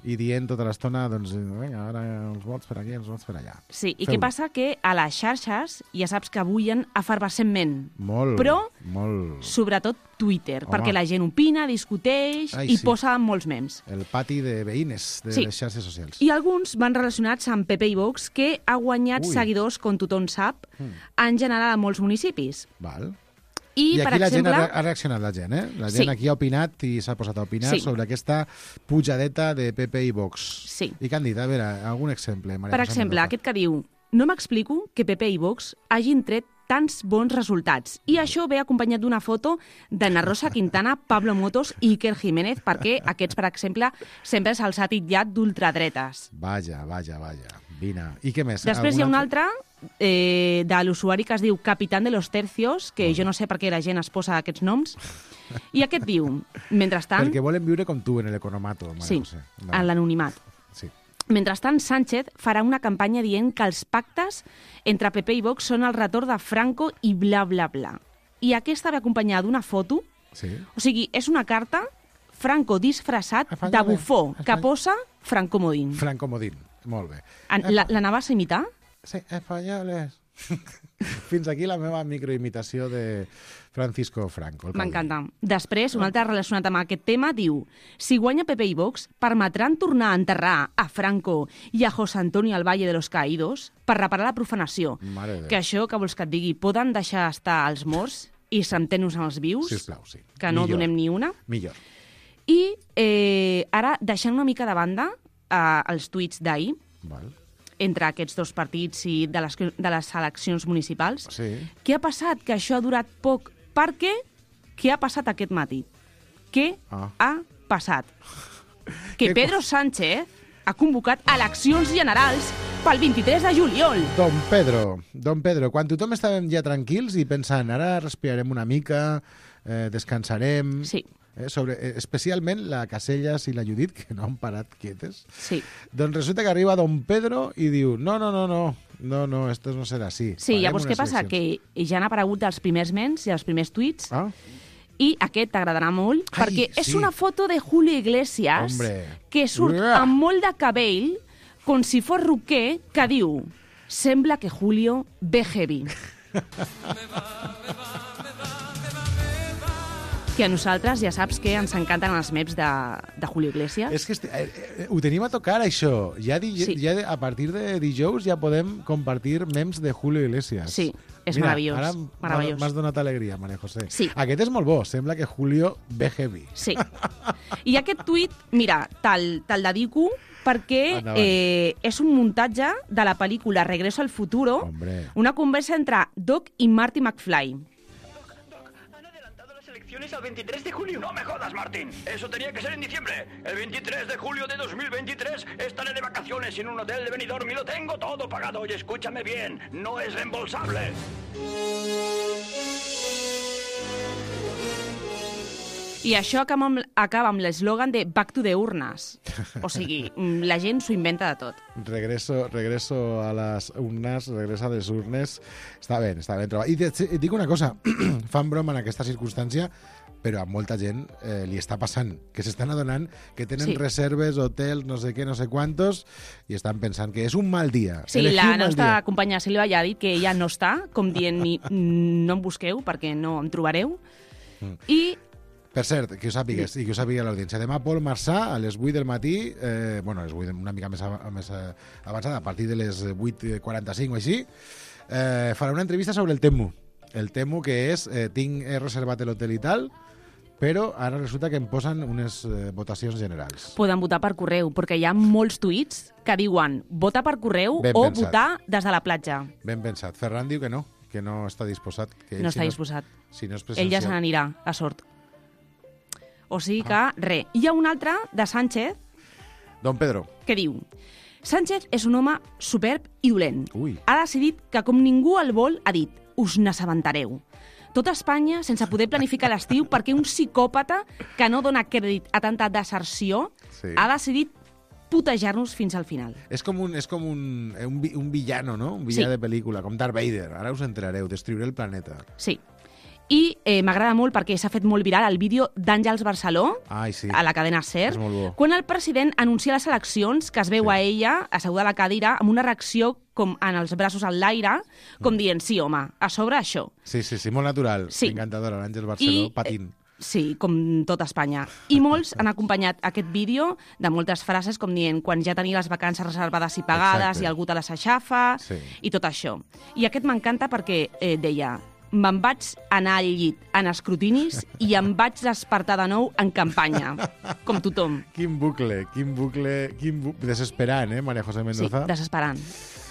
i dient tota l'estona, doncs, vinga, ara els vots per aquí, els vots per allà. Sí, i Feu-ho. què passa? Que a les xarxes ja saps que bullen efervescentment. Molt, Però, molt... sobretot Twitter, Home. perquè la gent opina, discuteix Ai, i sí. posa molts memes. El pati de veïnes de Sí. les xarxes socials. I alguns van relacionats amb Pepe i Vox, que ha guanyat Ui. seguidors, com tothom sap, Mm. en general a molts municipis. Val. I, I per aquí la gent exemple... ha, re- ha reaccionat, la gent, eh? La gent Sí. aquí ha opinat i s'ha posat a opinar Sí. sobre aquesta pujadeta de P P i Vox. Sí. I què han dit? A veure, algun exemple, Maria Per José exemple, Mendoza. aquest que diu: no m'explico que Pepe i Vox hagin tret tants bons resultats. I això ve acompanyat d'una foto d'Anna Rosa Quintana, Pablo Motos i Iker Jiménez, perquè aquests, per exemple, sempre se'ls ha titllat d'ultradretes. Vaja, vaja, vaja. Vine. I què més? Després hi ha un altre eh, de l'usuari que es diu Capitán de los Tercios, que jo no sé per què la gent es posa aquests noms, i aquest diu, mentrestant... Perquè volen viure com tu, en l'economato. Sí, en l'anonimat. Sí. Mentrestant, Sánchez farà una campanya dient que els pactes entre P P i Vox són el retorn de Franco i bla, bla, bla. I aquesta ve acompanyada d'una foto, sí. O sigui, és una carta Franco disfressat de bufó, que posa Franco Modín. Franco Modín. Molt bé. L'anaves a imitar? Sí, espanyoles. Fins aquí la meva microimitació de Francisco Franco. M'encanta. Després, un altre relacionat amb aquest tema, diu: si guanya P P i Vox, permetran tornar a enterrar a Franco i a José Antonio al Valle de los Caídos per reparar la profanació. Mare que això, que vols que et digui, poden deixar estar els morts i centenos en els vius? Sisplau, sí. Que no Millor. donem ni una? Millor. I eh, ara, deixant una mica de banda eh, els tuits d'ahir, Val. entre aquests dos partits i de les, de les eleccions municipals, sí. Què ha passat? Que això ha durat poc. Per què? Què ha passat aquest matí? Què ah. ha passat? Que Pedro Sánchez ha convocat eleccions generals pel vint-i-tres de juliol. Don Pedro, Don Pedro, quan tothom estàvem ja tranquils i pensant, ara respirarem una mica, eh, descansarem... Sí. Eh, sobre, eh, especialment la Casellas i la Judit, que no han parat quietes. Sí. Doncs resulta que arriba Don Pedro i diu, no, no, no, no, no, no, esto no serà així. Sí, Farem llavors què passa? eleccions. Que ja han aparegut els primers mens i els primers tuits, ah? i aquest t'agradarà molt, Ai, perquè sí. és una foto de Julio Iglesias, Hombre. que surt Uah. amb molt de cabell, com si fos roquer, que diu, sembla que Julio ve heavy. Que a nosaltres ja saps que ens encanten els memes de, de Julio Iglesias. És que este, eh, eh, ho tenim a tocar, això. Ja, di, Sí. ja a partir de dijous ja podem compartir memes de Julio Iglesias. Sí, és Mira, meravellós. Ara meravellós. m'has donat alegria, Maria José. Sí. Aquest és molt bo. Sembla que Julio ve heavy. Sí. I aquest tuit, mira, te'l te dedico perquè eh, és un muntatge de la pel·lícula Regreso al futuro, Hombre. una conversa entre Doc i Marty McFly. Al veintitrés de julio. No me jodas, Martín. Eso tenía que ser en diciembre. El veintitrés de julio de dos mil veintitrés estaré de vacaciones en un hotel de Benidorm y lo tengo todo pagado. Y escúchame bien, no es reembolsable. I això acaba amb, acaba amb l'eslògan de Back to the Urnes. O sigui, la gent s'ho inventa de tot. Regreso, regreso a les urnes, regreso a les urnes. Està bé, està ben trobat. I et, et dic una cosa, fan broma en aquesta circumstància, però a molta gent eh, li està passant, que s'estan adonant que tenen Sí. reserves, hotels, no sé què, no sé quantos, i estan pensant que és un mal dia. Sí, Elegir la un mal nostra dia. companya Sílvia ja ha dit que ella no està, com dient ni, no em busqueu perquè no em trobareu. Mm. I Per cert, que ho sàpigues, i que ho sàpiga l'audiència. Demà Pol Marçà, a les vuit del matí, eh, bueno, a les vuit una mica més, a, més a, avançada, a partir de les vuit quaranta-cinc o així, eh, farà una entrevista sobre el Temu. El Temu, que és, eh, tinc he reservat l'hotel i tal, però ara resulta que em posen unes eh, votacions generals. poden votar per correu, perquè hi ha molts tuits que diuen vota per correu Ben o pensat. votar des de la platja. Ben pensat. Ferran diu que no, que no està disposat. Que ell, No si està disposat. Si no és Ell ja se presencial. n'anirà, a sort. O sigui que, res. Hi ha un altre de Sánchez Don Pedro. que diu: Sánchez és un home superb i dolent. Ui. Ha decidit que, com ningú el vol, ha dit: us n'assabentareu. Tot Espanya sense poder planificar l'estiu perquè un psicòpata que no dona crèdit a tanta deserció Sí. ha decidit putejar-nos fins al final. És com un, és com un, eh, un, vi- un villano, no? Un villà Sí. de pel·lícula, com Darth Vader. Ara us enterareu, destruiré el planeta. Sí. I eh, m'agrada molt perquè s'ha fet molt viral el vídeo d'Àngels Barceló Ai, sí. a la cadena SER, És molt bo. quan el president anuncia les eleccions, que es veu sí. a ella asseguda a la cadira amb una reacció com en els braços en l'aire, com dient, sí, home, a sobre això. Sí, sí, sí, molt natural. Sí. Encantadora, l'Àngel Barceló, I, patint. Sí, com tot Espanya. I molts han acompanyat aquest vídeo de moltes frases com dient quan ja tenia les vacances reservades i pagades Exacte. i algú te les aixafa Sí. i tot això. I aquest m'encanta perquè eh, deia me'n vaig anar al llit en escrutinis i em vaig despertar de nou en campanya, com tothom. Quin bucle, quin bucle, quin bu... desesperant, eh, Maria José Sí, Mendoza? desesperant.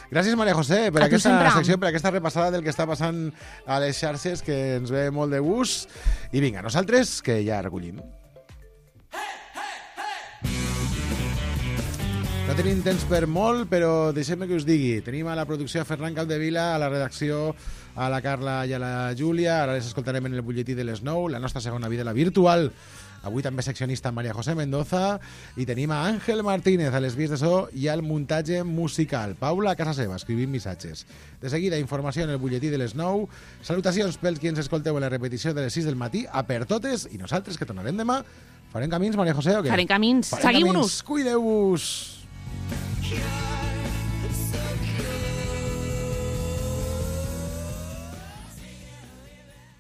Gràcies, Maria José, per A tu aquesta sempre. secció, per aquesta repassada del que està passant a les xarxes, que ens ve molt de gust. I vinga, nosaltres, que ja recollim. No tenim temps per molt, però deixem-me que us digui. Tenim a la producció a Ferran Capdevila, a la redacció a la Carla i a la Júlia. Ara les escoltarem en el butlletí de les nou, la nostra segona vida, la virtual. Avui també seccionista Maria José Mendoza. I tenim a Àngel Martínez a les vies de so i al muntatge musical. Paula a casa seva, escrivint missatges. De seguida, informació en el butlletí de les nou. Salutacions pels qui ens escolteu en la repetició de les sis del matí. A per totes, i nosaltres, que tornarem demà. Farem camins, Maria José, o què? Farem camins. Farem Seguiu-nos. camins. Cuideu-vos. Yeah.